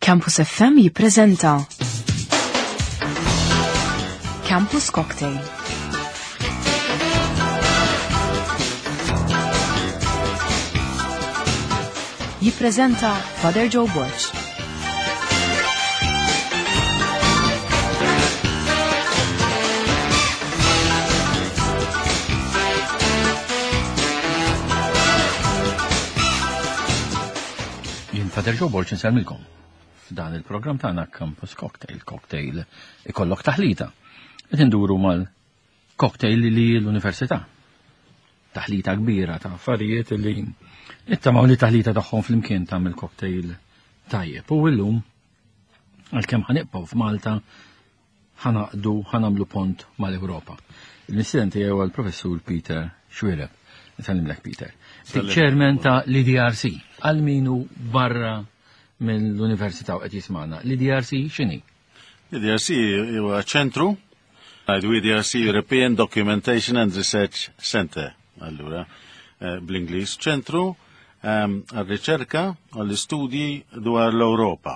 Campus FM jippreżenta Campus Cocktail. Jippreżenta Father Joe Borg. Jien Father Joe Borg insellmilkom. F'dan il-programm tagħna Campus Cocktail, cocktail ikollok taħlita. Qed induru mal-cocktail li l-università. Taħlita kbira ta' affarijiet li nittamaw li taħlita tagħhom flimkien tagħmel cocktail tajjeb. U illum għalkemm ħanibqgħu f'Malta ħanaqdu ħanamlu pont mal-Ewropa. Il-mistieden tiegħi huwa l-Professur Peter Xuereb. Nsellimlek Peter. Chairman ta' l-IDRC għal minu barra mill-Università u qed jismana. L-IDRC x'inhi? L-IDRC huwa ċentru ngħidu EDRC European Documentation and Research Center, allura eh, bl-Ingliż, ċentru ehm, għal-riċerka għall-istudji dwar l-Ewropa.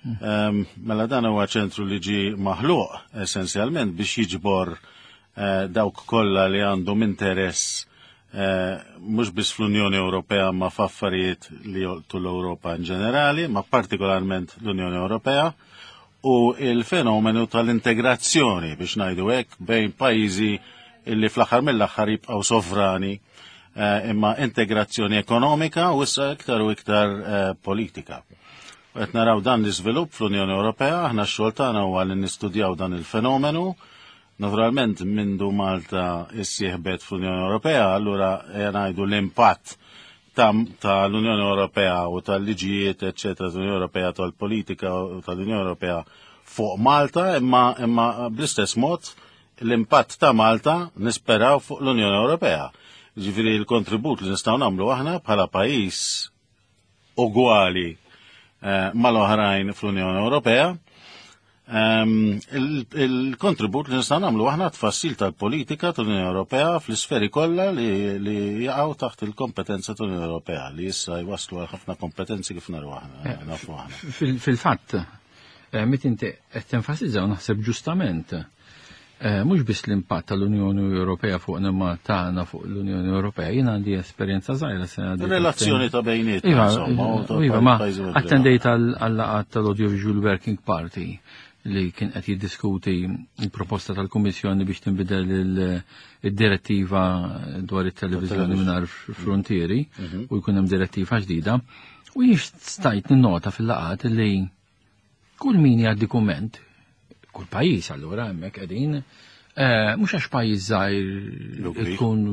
Ehm, mela dan huwa ċentru li ġi maħluq essenzjalment biex jiġbor eh, dawk kollha li għandhom interess eh, mhux biss fl-Unjoni Ewropea ma f'affarijiet li jolqtu l-Ewropa in ġenerali, ma partikolarment l-Unjoni Ewropea u il-fenomenu tal-integrazzjoni biex ngħidu hekk bejn pajjiżi illi fl-aħħar mill-aħħar jibqgħu sovrani eh, imma integrazzjoni ekonomika u issa iktar u iktar politika. Qed naraw dan l-iżvilupp fl-Unjoni Ewropea, aħna x-xogħol tagħna huwa li nistudjaw dan il-fenomenu. Naturalment mindu Malta issieħbet fl-Unjoni Ewropea, allura ngħidu l-impatt tal-Unjoni Ewropea u tal-liġijiet, eċċetera, tal-Unjoni Ewropea, tal-politika tal-Unjoni Ewropea fuq Malta, imma, imma bl-istess mod l-impatt ta' Malta nisperaw fuq l-Unjoni Ewropea. Ġifieri l-kontribut li nistgħu nagħmlu aħna bħala pajjiż ugwali eh, mal-oħrajn fl-Unjoni Ewropea. Ehm, il-kontribut li nistgħu nagħmlu aħna tfassil tal-politika tal-Unjoni Ewropea fl-isferi kollha li jaqgħu taħt il-kompetenza tal-Unjoni Ewropea li issa jwaslu għal ħafna kompetenzi kif naru aħna eh, nafu aħna. Fil-fatt, eh, mit inti qed tenfasizzaw naħseb ġustament Eh, mhux biss l-impatt tal-Unjoni Ewropea fuq imma tagħna fuq l-Unjoni Ewropea. Jien għandi esperjenza żgħira sena. Relazzjoni ta' bejniet. Iva, iva, ma attendejt għal-laqgħat tal-Audiovisual Working Party li kien qed jiddiskuti l-proposta tal-Kummissjoni biex tinbidel id-direttiva dwar it-televiżjoni mingħajr frontieri mhm. u jkun hemm direttiva ġdida. U jiex stajt ninnota fil-laqgħat li Kull min jgħaddi kumment, kull pajjiż allura hemmhekk qegħdin, eh, mhux għax pajjiż żgħir tkun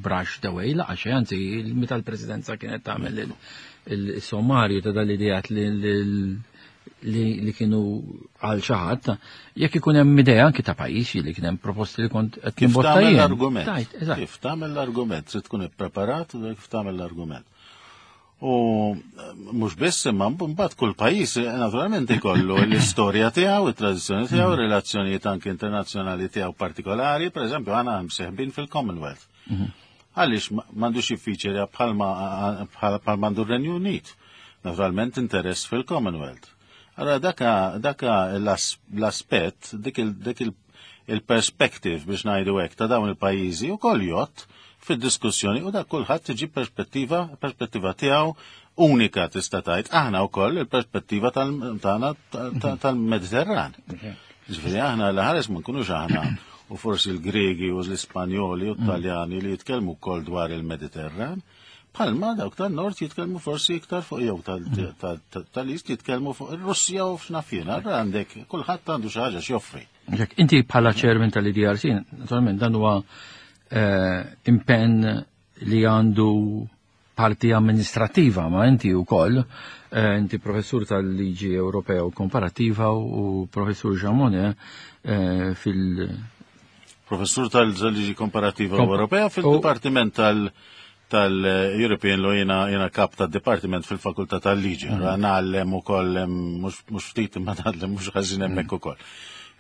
brush the way, laqgħa xejn, anzi meta l-presidenza kienet tagħmel il-sommarju ta' dal-idejat li kienu għal xi ħadd, jekk ikun hemm idea anki ta' pajjiż li kien hemm proposti li kont qed nimbotta jien. L-argument. Kif tagħmel l-argument, trid tkun ippreparat kif tagħmel l-argument. U eh, mhux biss imma mbagħad kull pajjiż eh, naturalment ikollu l-istorja tiegħu, it-tradizzjoni tiegħu, mhm. relazzjonijiet anke internazzjonali tiegħu partikolari, pereżempju għana mseħbin fil-Commonwealth. Mhm. Għaliex m'għandux jiffiċerja bħalma bħal m'għandu r-Renju Unit. Naturalment interess fil-Commonwealth. Allora daka daka l-aspett, dik il-perspective biex ngħidu hekk ta' dawn il-pajjiżi wkoll jgħodd fid-diskussjoni u dak kulħadd iġib perspettiva perspettiva tiegħu unika tista' tgħid aħna wkoll il-perspettiva tagħna tal-Mediterran. Ġifieri aħna l ħares ma nkunux aħna u forsi l-Gregi u l-Ispanjoli u t-Taljani li jitkellmu wkoll dwar il-Mediterran. Palma dawk tan-nord jitkellmu forsi iktar fuq jew tal-East jitkellmu fuq ir-Russja u f'naf jien. Allura għandek kulħadd għandu xi ħaġa x'joffri. Jekk inti bħala chairman tal-IDRC, naturalment dan huwa eh, impenn li għandu parti amministrativa, ma inti wkoll eh, inti professur tal-liġi Ewropea u komparattiva u professur Jean Monnet eh, fil- Professur tal-liġi komparativa Ewropea fil-Dipartiment tal- tal-European Law jena, jena kap tad Departiment fil-Fakultà tal-Liġi. Mm. Ngħallem ukoll mhux ftit imma ngħallem mhux ħażin hemmhekk mm. ukoll.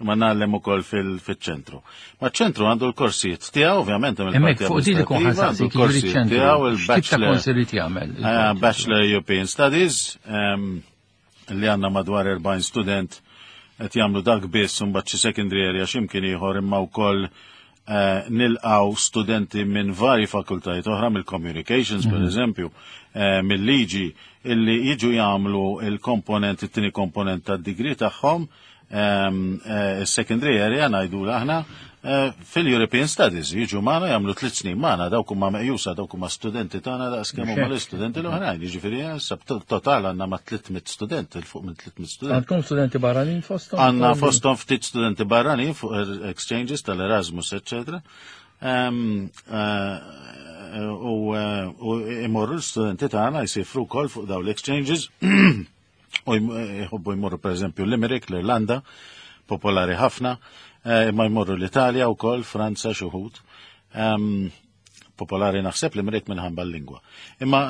Imma ngħallem ukoll fil-ċentru. Ma ċentru għandu l-korsijiet tiegħu ovvjament hemm il-parti fuq dik ikun ħasaqsi l-korsijiet tiegħu il-bachelor jagħmel. Eh, Bachelor European Studies. Ehm, li għandna madwar 40 student qed jagħmlu dak biss u mbagħad xi secondary area x'imkien ieħor imma wkoll eh, nilqaw studenti minn vari fakultajiet oħra mill-communications per eżempju, eh, mill-liġi illi jiġu jagħmlu il-komponent, it-tieni komponent tad-degree tagħhom eh, secondary area ngħidu aħna eh, fil-European Studies jiġu magħna jagħmlu 3 snin magħna dawk huma meqjusa dawk huma studenti tagħna daqs kemm huma l-istudenti l-oħrajn. Jiġifieri issa total għandna ma' 300 student, 'il fuq minn 300 student. Għandkom studenti barranin fostom? Għandna fostom ftit studenti barranin fuq exchanges tal-Erasmus, eccetera. U imorru l-studenti tagħna jsifru wkoll fuq dawn l-exchanges u jħobbu jmorru per eżempju Limerick, l-Irlanda, popolari ħafna, imma jmorru l-Italja wkoll, Franza, xi wħud. Popolari naħseb Limerick minħabba l-lingwa. Imma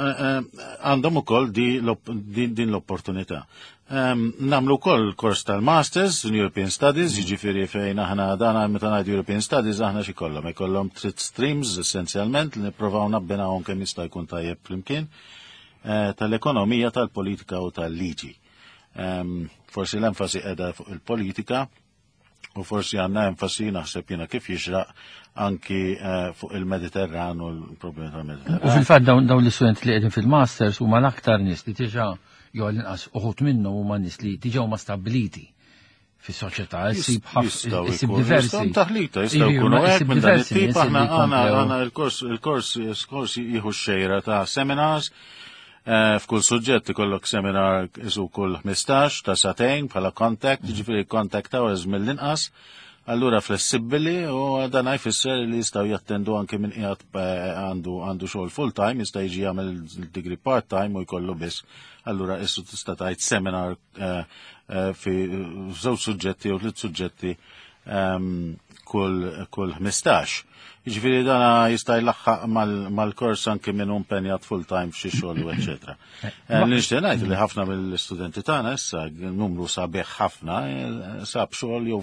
għandhom ukoll din l-opportunità. Nagħmlu wkoll kors tal-Masters in European Studies, jiġifieri fejn aħna dana meta ngħidu European Studies aħna xi kollhom, ikollhom tliet streams essenzjalment li nippruvaw nabbinahom kemm jista' jkun tajjeb flimkien tal-ekonomija, tal-politika u tal-liġi. Forsi l-enfasi qiegħda fuq il-politika u forsi għandna enfasi naħseb jiena kif jixraq anki fuq il-Mediterran u l-problemi tal-Mediterran. U fil-fatt dawn l-istudenti li qegħdin fil-masters huma l-aktar nies li diġà jew għall-inqas uħud minnhom huma nies li diġà huma stabbiliti fis-soċjetà, issib Jistgħu issib jkunu- diversi. jistgħu taħlita, jistgħu Iva, jkunu hekk issib minn dan diversi it-tip, nies aħna li għandna jkomplew. għandna il-kors jieħu xejra ta' seminars, f'kull suġġett ikollok seminar isu kull 15 ta' sagħtejn bħala contact, jiġifieri contact hours mill-inqas, allura flessibbili u dan jfisser li jistgħu jattendu anke minn qiegħed għandu xogħol full time, jista' jiġi jagħmel degree part time u jkollu biss. Allura issu tista' tgħid seminar fi żewġ suġġetti u tliet suġġetti kull 15. Jiġifieri dana jista' jlaħħaq mal-kors anke minn impenjat full time f'xi xogħol u eċetera. Li nixtieq ngħid li ħafna mill-istudenti tagħna issa numru sabiħ ħafna sab xogħol jew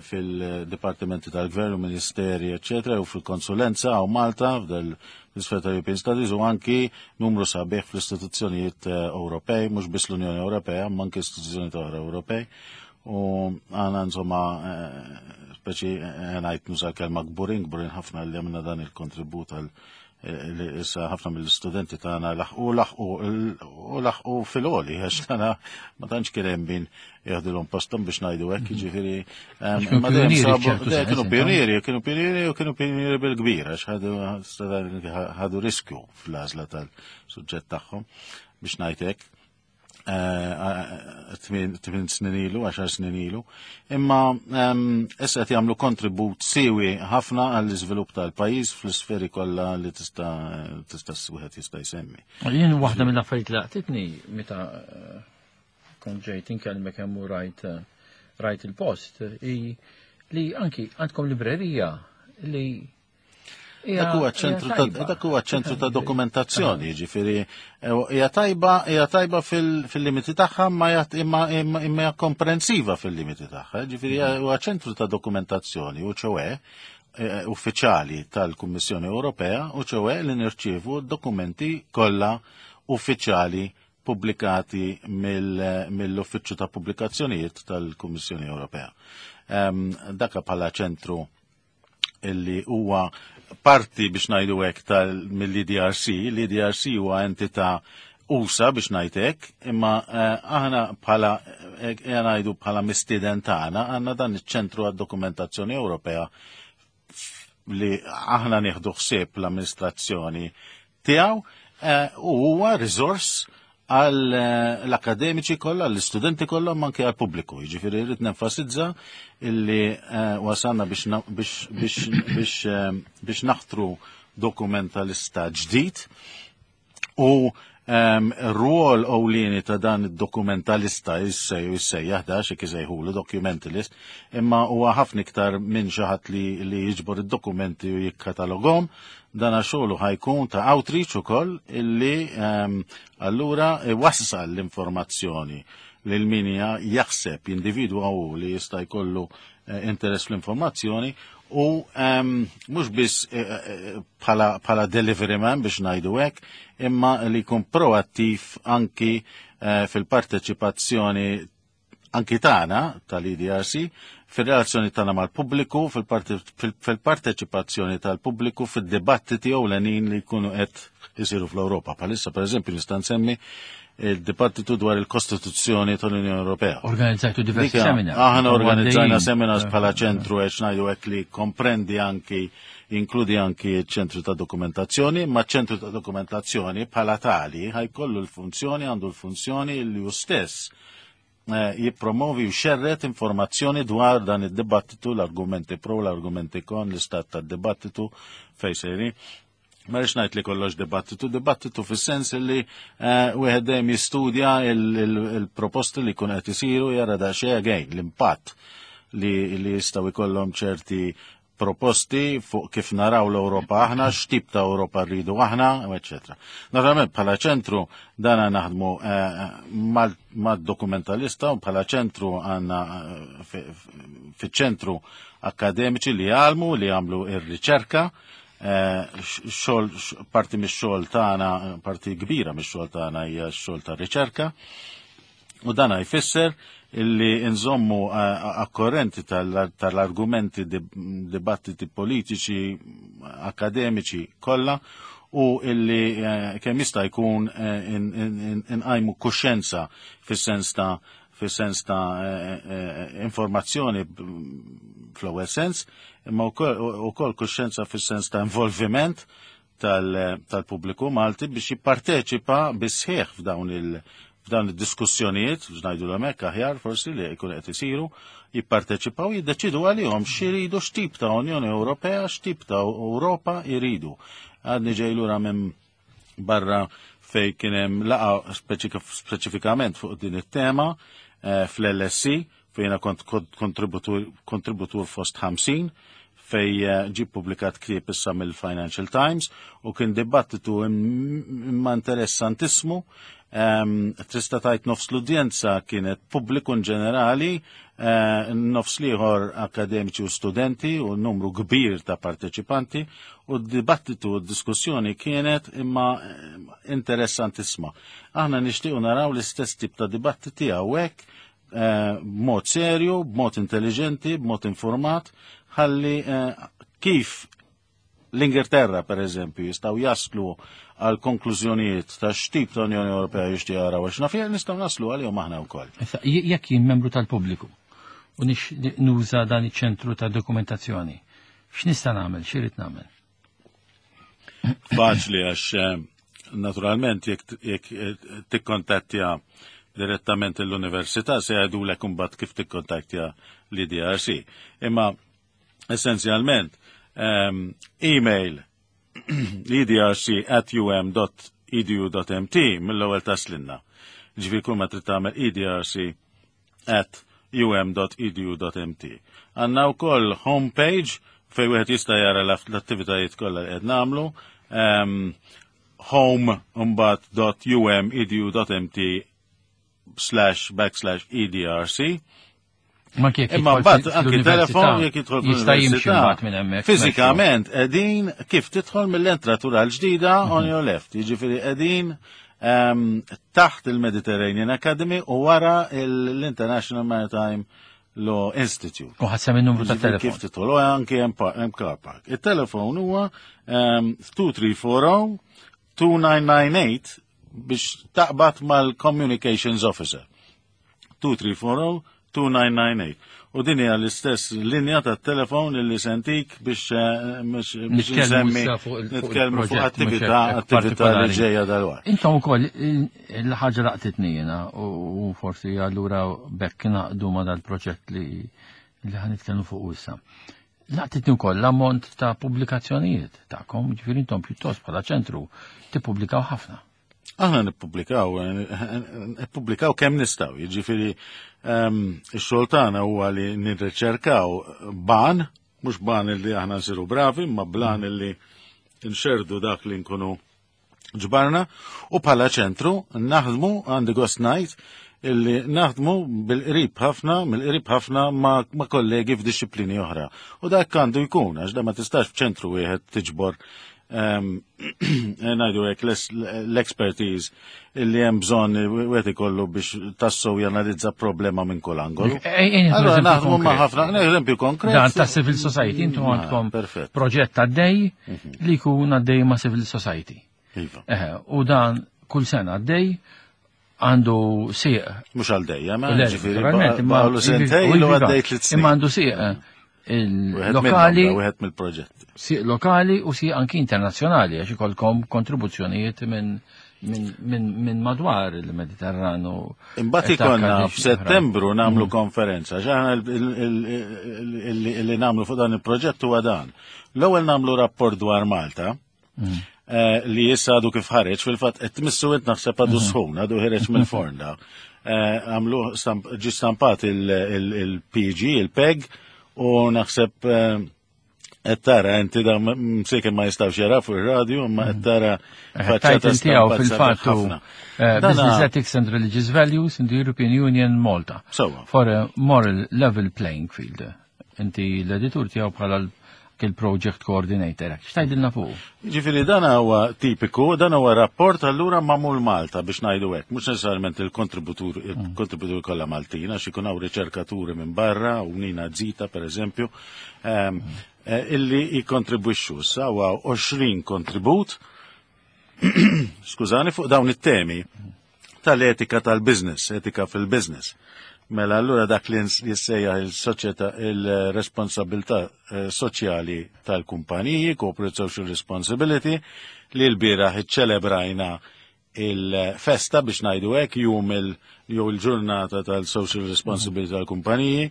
fil-dipartimenti tal-gvern u ministeri, eċetera, jew fil-konsulenza hawn Malta f'del l-isfera ta' European Studies u anki numru sabiħ fl-istituzzjonijiet Ewropej, mhux biss l-Unjoni Ewropea, ma anki istituzzjonijiet oħra Ewropej. U għana insomma, speċi ngħid nuża kelma kburin, kburin ħafna li għamilna dan il-kontribut għal li issa ħafna mill-istudenti tagħna laħqu laħqu u laħqu fil-għoli, għax tagħna ma tantx kien hemm min jaħdilhom postom biex ngħidu hekk, jiġifieri Għax kienu imma dejjem pionieri sabu- f'ċertu dejjem sens, kienu intom. pionieri, kienu pionieri u kienu pionieri bil-kbir, għax ħadu riskju fl-għażla tal-suġġett tagħhom biex ngħid hekk. 8 snin ilu, 10 snin ilu. Imma issa qed jagħmlu kontribut siwi ħafna għall-iżvilupp tal-pajjiż fl-isferi kollha li tista' wieħed jista' jsemmi. Jien waħda mill-affarijiet li laqtitni meta kont ġejt inkellmek hemm u rajt il-post i li anki għandkom librerija li hija tajba. Dak huwa ċentru ta' dokumentazzjoni, jiġifieri hija tajba fil-limiti tagħha imma hija komprensiva fil-limiti tagħha, jiġifieri huwa ċentru ta' dokumentazzjoni u ċoè uffiċjali tal-Kummissjoni Ewropea u ċoè li nirċievu dokumenti kollha uffiċjali pubblikati mill-Uffiċċju ta' Pubblikazzjonijiet tal-Kummissjoni Ewropea. Daka bħala ċentru illi huwa parti biex ngħidu hekk tal mill-EDRC, l-EDRC huwa entità usa biex ngħid hekk, imma aħna bħala ngħidu bħala mistieden tagħna għandna dan iċ-ċentru għad-dokumentazzjoni Ewropea li aħna nieħdu ħsieb l-amministrazzjoni tiegħu u huwa riżors għal l-akademiċi kollha, l-istudenti kollha, ma anke għal pubbliku. Jiġifieri rrid nenfasizza illi wasalna biex naħtru dokumentalista ġdid u r-rwol ewlieni ta' dan id-dokumentalista jissejjaħ da xi kisejħulu documentalist, imma huwa ħafna iktar minn xi ħadd li jiġbor id-dokumenti u jikkatalogom, dan xogħlu ħa jkun ta' outreach ukoll illi allura iwassal l-informazzjoni lil min jaħseb jindividwa u li jista' jkollu interess fl-informazzjoni. U mhux biss eh, eh, bħala delivery man biex ngħidu hekk, imma li jkun proattiv anki eh, fil-parteċipazzjoni anki tagħna tal-EDRC fir-relazzjoni tagħna mal-pubbliku, fil-parteċipazzjoni tal-pubbliku fid-dibattiti ewlenin li jkunu qed isiru fl-Ewropa. Bħalissa pereżempju nista' nsemmi il-dibattitu dwar il-Kostituzzjoni tal-Unjoni Ewropea. Organizzajtu diversi seminars. Aħna organizzajna seminars bħala ċentru għex ngħidu hekk li komprendi anki jinkludi anki ċentru ta' dokumentazzjoni, ma ċentru ta' dokumentazzjoni bħala tali ħajkollu l-funzjoni, għandu l-funzjoni li hu stess eh, jippromovi u xerret informazzjoni dwar dan id-dibattitu, l-argumenti pro, l-argumenti kon, l-istat tad-dibattitu fej sejri. Ma rridx ngħid li kollox dibattitu, dibattitu fis-sens li eh, wieħed dejjem jistudja il-proposti li jkun qed isiru jara daqsxejn again l-impatt li jistgħu jkollhom ċerti proposti fuq kif naraw l-Ewropa aħna, x'tip ta' Ewropa rridu aħna, eċetera. Naturalment bħala ċentru dana naħdmu eh, mad-dokumentalista u bħala ċentru għandna eh, fiċ-ċentru akademiċi li jgħalmu, li jagħmlu ir-riċerka, eh, xogħol parti mix-xogħol tagħna, parti kbira mix-xogħol tagħna hija x-xogħol ta' riċerka. U dana jfisser illi nżommu eh, akkorrenti tal-argumenti dibattiti politiċi, akademiċi kollha u illi eh, kemm jista' jkun eh, inqajmu kuxjenza fis-sens ta' fis-sens ta' informazzjoni fl-ewwel sens, imma wkoll kuxjenza fis-sens ta' involviment tal-pubbliku Malti biex jipparteċipa bis-sħiħ f'dawn il- f'dawn id-diskussjonijiet, biex ngħidu l aħjar forsi li jkun qed isiru, jipparteċipaw jiddeċidu għalihom x'iridu x'tip ta' Unjoni Ewropea, x'tip ta' Ewropa jridu. Għadni ġej lura minn barra fej kien hemm laqa speċifikament fuq din it-tema eh, fl-LSC fejna kont kontributur fost 50 fej eh, ġi publikat ktieb issa mill-Financial Times u kien dibattitu imma interessantissimu. Tista' tajt nofs l-udjenza kienet pubbliku ġenerali, eh, nofs liħor akademiċi u studenti u numru kbir ta' parteċipanti u d-dibattitu u d-diskussjoni kienet imma eh, interessantissima. Aħna nixtiequ naraw l-istess tip ta' dibattiti hawnhekk b'mod serju, b'mod intelligenti, b'mod informat, ħalli eh, kif l-Ingilterra, per eżempju, jistaw jaslu għal konklużjonijiet ta' x'tip ta' Unjoni Ewropea jixtieq jaraw għax naf nistgħu naslu għalihom aħna wkoll. Jekk jien membru tal-pubbliku u nix nuża dan iċ-ċentru ta' dokumentazzjoni, x'nista' nagħmel, x'irid nagħmel? Faċli għax eh, naturalment jekk eh, tikkontattja direttament l-università se jgħidulek imbagħad kif tikkontattja l-IDRC. Imma essenzjalment ehm, email edrc at um.edu.mt mill-ewwel taslinna. Ġifieri kull ma trid tagħmel edrc at um.edu.mt. Għandna wkoll homepage fej wieħed jista' jara l-attivitajiet kollha li qed nagħmlu. Um, home mbagħad dot um.edu.mt slash backslash edrc. Ma kif Imma mbagħad anki telefon jekk jidħol jista' jimxi mbagħad minn hemmhekk. Fiżikament qegħdin kif tidħol mill-entratura l-ġdida on your left. Jiġifieri qegħdin ehm, taħt il-Mediterranean Academy u wara l-International Maritime Law Institute. U ħassem il-numru ta' telefon. Kif tidħol u anki hemm car park. Il-telefon huwa 2340 2998 biex taqbad mal-Communications Officer. 2340 2998. U din hija l-istess linja ta' telefon li sentik biex eh, biex nsemmi nitkellmu fuq attività attività li ġejja dal-waqt. Intom ukoll il-ħaġa laqtitni jiena u forsi allura bekk naqdu ma dal-proġett li li ħanitkellmu fuq issa. Laqtitni wkoll l-ammont ta' pubblikazzjonijiet tagħkom, ġifieri intom pjuttost bħala ċentru tippubblikaw ħafna. Aħna nippubblikaw, nippubblikaw kemm nistgħu, jiġifieri ehm, ix-xogħol tagħna huwa li nirriċerkaw ban, mhux ban illi aħna nsiru bravi, imma blan illi nxerdu dak li nkunu ġbarna u bħala ċentru naħdmu għandi gost ngħid illi naħdmu bil-qrib ħafna, mill-qrib ħafna ma', ma kollegi f'dixxiplini oħra. U dak għandu jkun, għax da ma tistax f'ċentru wieħed tiġbor ngħidu hekk l-expertise illi hemm bżonn wieħed ikollu biex tassew janalizza problema minn kull angolu. Allora naħdmu ma' ħafna, eżempju konkret. Dan ta' civil society, intom ah, għandkom proġett għaddej mhm. li jkun għaddej ma' civil society. Iva. U dan kull sena għaddej għandu sieq. Mux għal dejjem, ma ġifieri. Imma għandu sentej u għaddej tliet snin. Imma għandu sieq eh, il-lokali. Wieħed mill-proġetti. Sieq lokali u sieq anki internazzjonali għax ikolkom kontribuzzjonijiet minn min madwar il-Mediterranu. Imbagħad ikollna f'Settembru nagħmlu mm. konferenza, x'aħna li nagħmlu fuq dan il-proġett huwa dan. L-ewwel nagħmlu rapport dwar Malta, mm. eh, li issa għadu kif ħareġ, fil-fatt qed tmissu int naħseb għadu mm-hmm. sħun, għadu ħareġ mill-forn da. Eh, għamlu ġi stampat il-PG, il-PEG, u naħseb eh, qed tara inti da msikin ma jistawx jara fuq ir-radju, imma qed tara mm. faċċata tiegħu fil-fatt Business Ethics and Religious Values in the European Union Malta. For a moral level playing field. Inti l-editur tiegħu bħala il-project coordinator. X'tajdilna fuq? Ġifieri dan huwa tipiku, dan huwa rapport allura magħmul Malta biex ngħidu hekk, mhux neċessarjament il-kontributur il-kontributur kollha Maltin għax ikun hawn riċerkaturi minn barra u Nina Zita pereżempju, ehm, eh, illi jikkontribwixxu issa huwa 20 kontribut skużani fuq dawn it-temi tal-etika tal-business, etika fil-business. Mela allura dak li jissejjaħ il-soċjetà il-responsabilità eh, soċjali tal-kumpaniji, corporate social responsibility, li l-bieraħ iċċelebrajna il-festa biex ngħidu hekk jum il jew il-ġurnata tal-social responsibility tal-kumpaniji,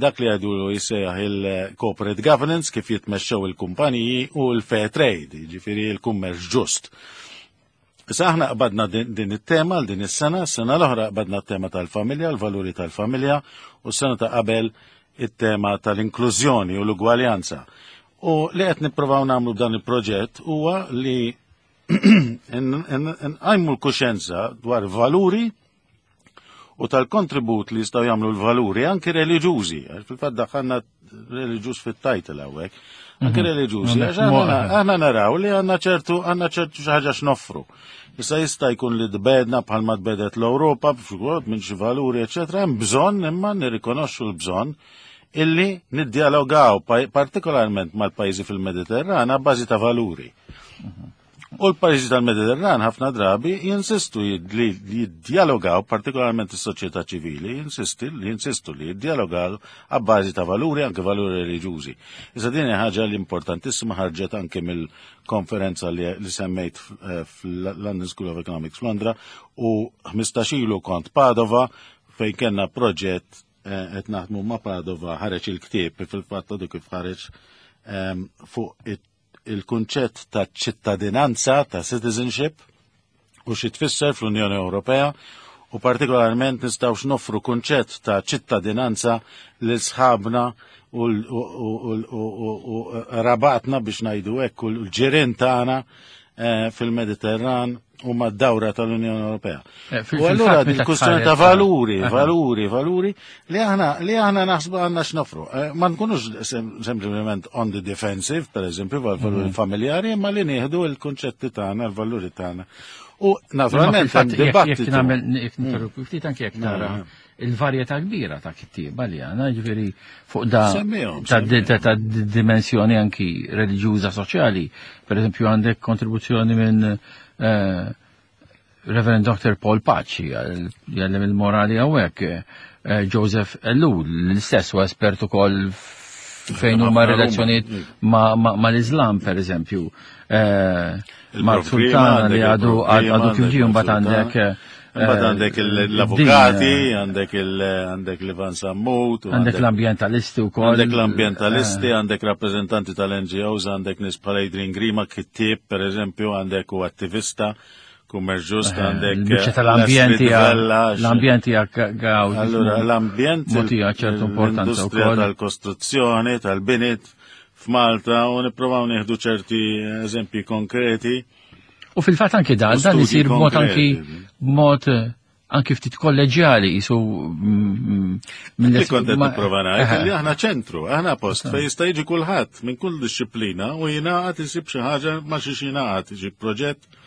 dak li għadu jissejjaħ il-corporate governance kif jitmexxew il-kumpaniji u l-fair trade, jiġifieri l-kummerċ ġust. Issa aħna qbadna din it-tema għal din is-sena, s-sena l-oħra qbadna t-tema tal-familja, l-valuri tal-familja, u s-sena ta' qabel it-tema tal-inklużjoni u l-ugwaljanza. U li qed nippruvaw nagħmlu b'dan il-proġett huwa li nqajmu l-kuxenza dwar valuri u tal-kontribut li jistgħu jagħmlu l-valuri anki reliġjużi, għax fil-fatt daħħalna reliġjuż fit-title hawnhekk, anki mhm. reliġjużi, għax aħna naraw li għandna ċertu għandna ċertu xi ħaġa x'noffru. Issa jista' jkun li tbedna bħalma tbedet l-Ewropa b'xi minn xi valuri, eċetera, hemm bżonn imma nirrikonoxxu l-bżonn illi niddialogaw partikolarment mal-pajjiżi fil-Mediterran bażi ta' valuri. Mhm. U l-pajjiżi tal-Mediterran ħafna drabi jinsistu li jiddialogaw, partikolarment is-soċjetà ċivili, jinsisti li jinsistu li jiddialogaw għabbażi ta' valuri, anke valuri reliġjużi. Issa din hija ħaġa li importantissima ħarġet anke mill-konferenza li, li semmejt eh, fl-London School of Economics f'Londra u 15 ilu kont Padova fejn kellna proġett eh, qed naħdmu ma' Padova ħareġ il-ktieb fil-fatt għadu kif ħareġ ehm, fuq il-kunċett ta' ċittadinanza, ta' citizenship, u xi tfisser fl-Unjoni Ewropea u partikolarment nistgħux noffru kunċett ta' ċittadinanza lil sħabna u rabatna biex ngħidu hekk u l-ġirien tagħna eh, fil-Mediterran u mad-dawra tal-Unjoni Ewropea. Eh, u allura din kwistjoni ta' valuri, valuri, valuri li aħna li aħna naħsbu għandna x'nofru. Eh, ma nkunux sempliċement on the defensive, per eżempju, valuri mhm. familjari, imma li nieħdu l-kunċetti tagħna, l-valuri tagħna. U naturalment hemm dibattitu. Jekk nagħmel jekk ninterrompi ftit anke jekk tara mm. il-varjetà kbira ta' kittieba li għandna, ġifieri fuq da ta' dimensjoni anki reliġjuża soċjali. Per eżempju għandek kontribuzzjoni minn eh, Reverend Dr. Paul Paċi, jgħallem il-morali hawnhekk, eh, Joseph Ellul, l-istess u espert ukoll fejn huma relazzjonijiet ma' l-Islam, per eżempju. Eh, Mark Sultana li għadu għadu kif ġie mbagħad għandek eh, Mbagħad għandek l-avukati, għandek għandek l-Ivan Sammut, għandek l-ambientalisti wkoll. Għandek l-ambientalisti, eh. għandek rappreżentanti tal-NGOs, għandek nies bħal Adrian Grima, kittieb pereżempju, għandek u attivista kummerċ ġust, eh, għandek. Biċċa tal-ambjent l-ambjent hija għaw. Allura l-ambjent ċertu importanza wkoll. Tal-kostruzzjoni, tal-binit, f'Malta u nipprovaw nieħdu ċerti eżempji konkreti. U fil-fatt anki dan, dan isir b'mod anki b'mod eh, Anki ftit kolleġjali jisu mill kont qed nipprova ngħid li aħna ċentru, aħna post fejn jista' jiġi kulħadd minn kull disċiplina u jingħaqad isib xi ħaġa ma xi jingħaqad, xi proġett,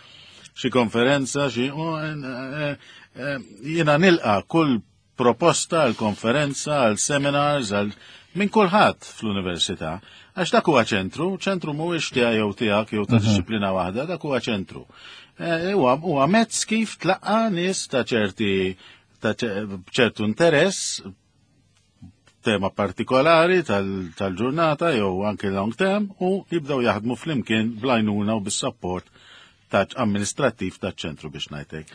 xi konferenza, xi eh, eh, jiena nilqa kull proposta għal konferenza, għal seminars, għal minn kulħadd fl-università. Għax dak huwa ċentru, ċentru mhuwiex tiegħi jew tiegħek jew ta' mhm. disċiplina waħda, dak huwa ċentru. Eh, huwa mezz kif tlaqqa nies ta' ċerti ta' ċertu interess tema partikolari tal-ġurnata jew anke long term u jibdew jaħdmu flimkien blajnuna u bis-support ta' amministrattiv ta' ċentru biex ngħidlek.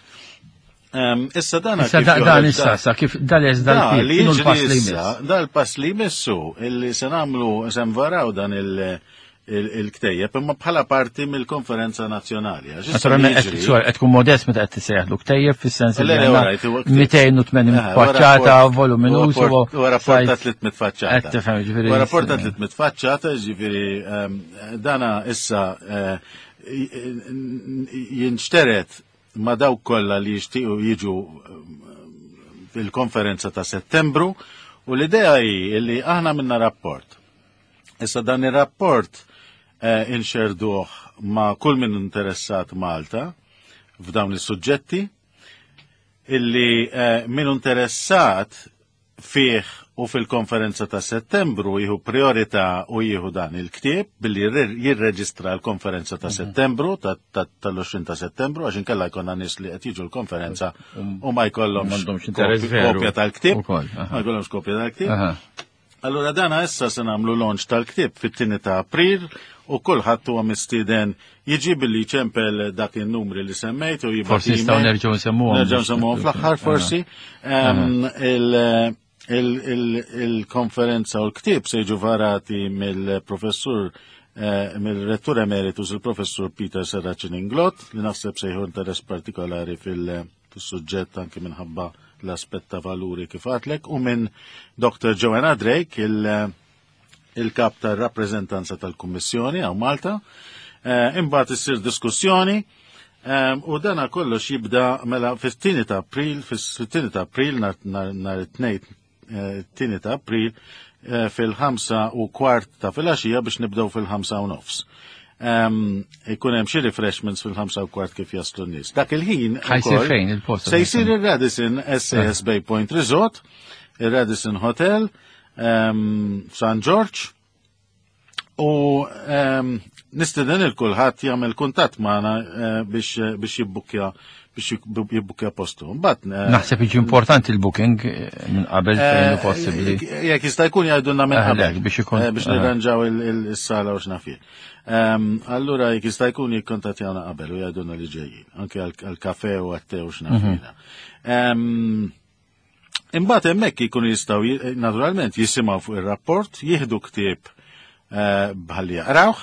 Issa dan Issa dan issa sa kif dal-eż dal l-pass li jmiss. Dal-pass li jmissu illi se nagħmlu se nvaraw dan il- il-ktejjeb imma bħala parti mill-konferenza nazzjonali. Naturalment qed tkun modest meta qed tissejjaħlu ktejjeb fis-sens li 280 eh, faċċata voluminuż u rapport ta' 300 faċċata. Qed tifhem ġifieri. U rapport ta' 300 faċċata ġifieri ehm, dana issa eh, jinxteret ma' dawk kollha li jixtiequ jiġu fil-konferenza ta' Settembru u l-idea hi li aħna minna rapport. Issa dan ir-rapport eh, inxerduh ma' kull min interessat Malta f'dawn is-suġġetti illi eh, min interessat fih u fil-konferenza ta' settembru jieħu priorità u jieħu dan il-ktieb billi jirreġistra l-konferenza ta' mhm. settembru tal-20 ta' settembru għax inkella jkollna nies li qed jiġu l-konferenza um, u ma jkollhomx kopja tal-ktieb. Ma jkollhomx kopja tal-ktieb. Allura dana issa se nagħmlu launch tal-ktieb fit-tieni ta' April u kulħadd huwa mistieden jiġi billi jċempel dak in-numri li semmejt u jibgħat. Forsi nistgħu nerġgħu nsemmuhom. Nerġgħu nsemmuhom fl-aħħar forsi. Il-konferenza u l-ktieb se jiġu varati mill-professur eh, mill-rettur emeritus il-professur Peter Serracin Inglot li naħseb se jieħu interess partikolari fil- fis-suġġett anki minħabba l-aspett ta' valuri kif għatlek u minn Dr. Joanna Drake, il-kap il tar-rappreżentanza tal-Kummissjoni għaw Malta. Eh, imbagħad issir diskussjoni eh, u dana kollox jibda mela fis-tieni ta' April, fis-tieni ta' April nhar it-tnejn it-tieni ta' April eh, fil-5:15 ta' filgħaxija biex nibdew fil-5:30. Ikun hemm xi refreshments fil-5:15 kif jaslu n-nies. Dak il-ħin Ħajsir fejn il-post? Se jsir ir-Radisson SAS Bay Point Resort, ir-Radisson Hotel, San George, U ehm, nistiden il-kulħadd jagħmel kuntatt magħna eh, biex eh, biex jibbukkja biex jibbukkja postu. Mbagħad eh, naħseb jiġi importanti l-booking minn qabel fejn possibbli. Jekk jista' jkun jgħidulna minn qabel biex ikun biex nirranġaw is-sala u x'nafien. Ehm, allura jekk jista' jkun jikkontattjawna qabel u jgħidulna li ġejjin, anke għall-kafe u għat-te u x'nafina. Mhm. Ehm, Imbagħad hemmhekk jkunu jistgħu naturalment jisimgħu fuq ir-rapport, jieħdu ktieb eh, bħalli jaqrawh.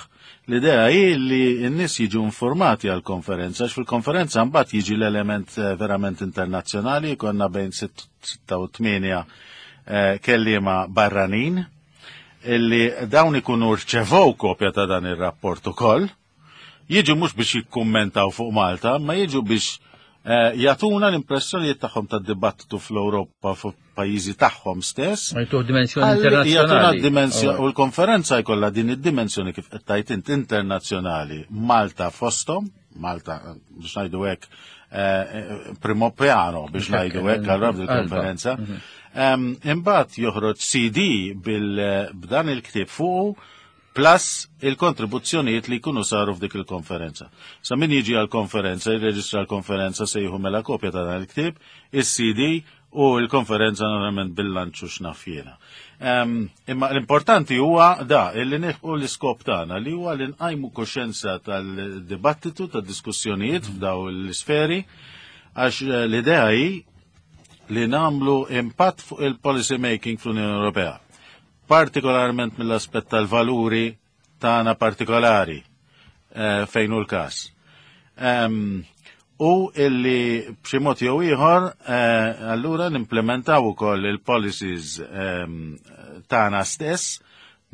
L-idea hi li n-nies jiġu informati għall-konferenza, għax fil-konferenza mbagħad jiġi l-element eh, verament internazzjonali, jkollna bejn 6 u 8 eh, kelliema barranin illi dawn ikunu rċevow kopja ta' dan ir-rapport ukoll Jiġu mhux biex jikkummentaw fuq Malta, ma jiġu biex eh, jagħtuna l-impressjonijiet tagħhom tad-dibattitu fl-Ewropa fuq pajjiżi tagħhom stess. Ma jtuh dimensjoni internazzjonali. Jagħtuna dimensjoni u l-konferenza jkollha din id-dimensjoni kif qed tajt int internazzjonali. Malta fosthom, Malta biex ngħidu hekk eh, eh, primo piano biex ngħidu hekk allura fil-konferenza. Mhm. Imbagħad joħroġ CD bil-b'dan il-ktieb fuqu plus il-kontribuzzjonijiet li jkunu saru f'dik il-konferenza. Sa min jiġi għal-konferenza, jirreġistra l-konferenza se jieħu mela kopja ta' dan il-ktieb, is-CD u l-konferenza normalment bil-lanċu x'naf jiena. Imma l-importanti huwa da illi nilħqu l-iskop tagħna li huwa li nqajmu koxjenza tal-dibattitu, tad-diskussjonijiet f'daw l-isferi, għax eh, l-idea hi li nagħmlu impatt fuq il-policy making fl-Unjoni Ewropea partikolarment mill-aspett tal-valuri tagħna partikolari eh, fejn hu l-każ. U illi b'xi mod jew ieħor eh, allura nimplementaw ukoll il-policies tagħna stess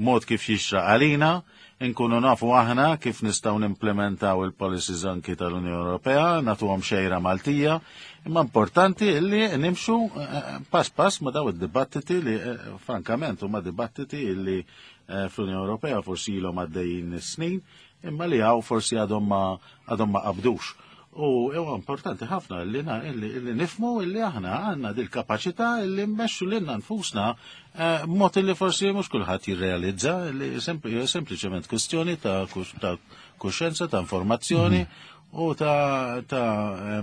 mod kif jixraq għalina Inkunu nafu aħna kif nistgħu nimplementaw il-policies anki tal-Unjoni Ewropea, nagħtuhom xejra Maltija, imma importanti illi nimxu eh, eh, pass pass ma daw id-dibattiti li eh, frankament huma dibattiti illi fl-Unjoni Ewropea forsi ilhom għaddejjin snin, imma li hawn forsi għadhom ma għadhom ma qabdux. U huwa importanti ħafna li li nifmu li aħna għandna dil-kapaċità li mmexxu lilna nfusna eh, mod li forsi mhux kulħadd jirrealizza li sempliċement kwestjoni ta' kuxjenza, ta' informazzjoni mhm. u ta' ta'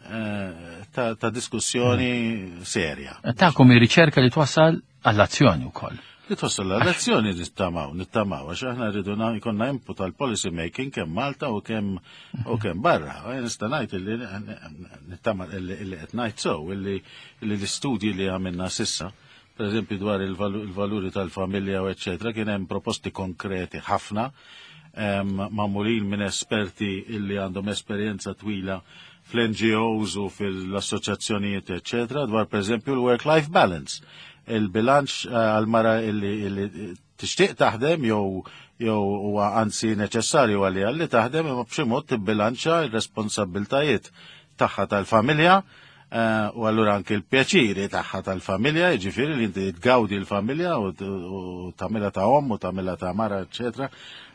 eh, ta', ta diskussjoni mhm. serja. Ta'kom riċerka li twassal għall-azzjoni wkoll. Li twassal għall-azzjoni nittamaw, nittamaw, għax aħna rridu jkollna input għal policy making kemm Malta u kemm u kemm barra. Nista' ngħid illi nittama illi qed ngħid sew illi l-istudji li għamilna sissa, per eżempju dwar il-valuri tal-familja u eċċetera, kien hemm proposti konkreti ħafna magħmulin minn esperti illi għandhom esperjenza twila fl-NGOs u fil-assoċjazzjonijiet, eccetera, dwar per eżempju l-work-life balance il-bilanċ eh, għal-mara illi tixtieq taħdem jew jew huwa anzi neċessarju għalli għalli taħdem imma b'xi mod tibbilanċa r-responsabbiltajiet tagħha tal-familja eh, u allura anki l-pjaċiri tagħha tal-familja, jiġifieri li inti tgawdi l-familja u tagħmilha ta' omm u tagħmilha ta' mara, eċetera.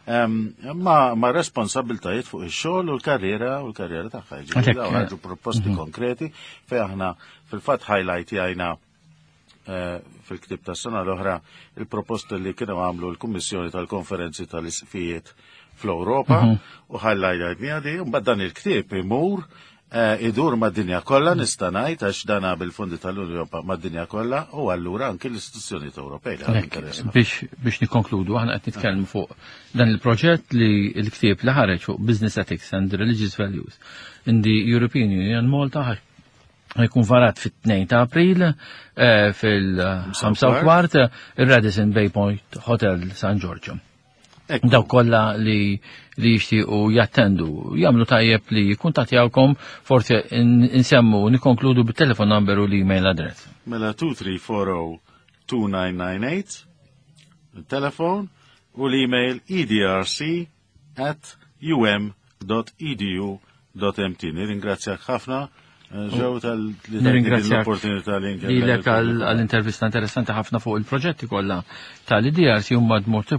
Ma, ma responsabiltajiet fuq ix-xogħol u l-karriera u l-karriera tagħha. Jiġifieri dawn ħarġu proposti mhm. konkreti fejn aħna fil-fatt highlight jgħajna Eh, fil-ktib ta' sena l-oħra il-proposta li kienu għamlu l-Kummissjoni tal-Konferenzi tal-Isqfijiet fl-Ewropa mhm. u ħallajja di, mbagħad dan il-ktieb imur eh, idur mad-dinja kollha mhm. nista' ngħid għax dana bil-fondi tal-Ewropa mad-dinja kollha u allura anki l-istituzzjonijiet Ewropej. Biex biex nikkonkludu aħna qed nitkellmu fuq dan il-proġett li l-ktieb li ħareġ fuq Business Ethics and Religious Values in the European Union Malta jkun varat fit-2 ta' April eh, fil-5 kwart il-Radisson Bay Point Hotel San Giorgio. Daw kollha li li jixtiequ jattendu, jagħmlu tajjeb li jikkuntattjawkom forsi insemmu nikkonkludu bit-telefon number u l-email address. Mela 2340 2998 il-telefon u l-email edrc at um.edu.mt. Nirringrazzjak ħafna. Eh, ġew tal-li l-opportunità li Lilek għall-intervista interessanti ħafna fuq il-proġetti kollha tal-IDRC huma mod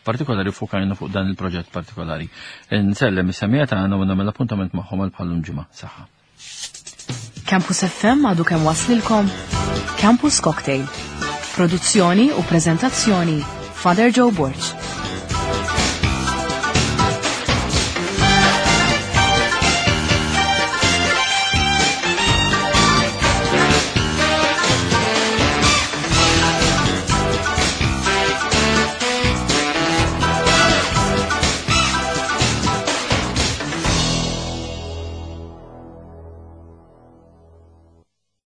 partikolari fukajna fuq dan il-proġett partikolari. Nsellem is-semija tagħna u nagħmel appuntament magħhom għal bħallum ġimgħa. Saħħa. Campus FM għadu kemm waslilkom Campus Cocktail. Produzzjoni u prezentazzjoni Father Joe Borg.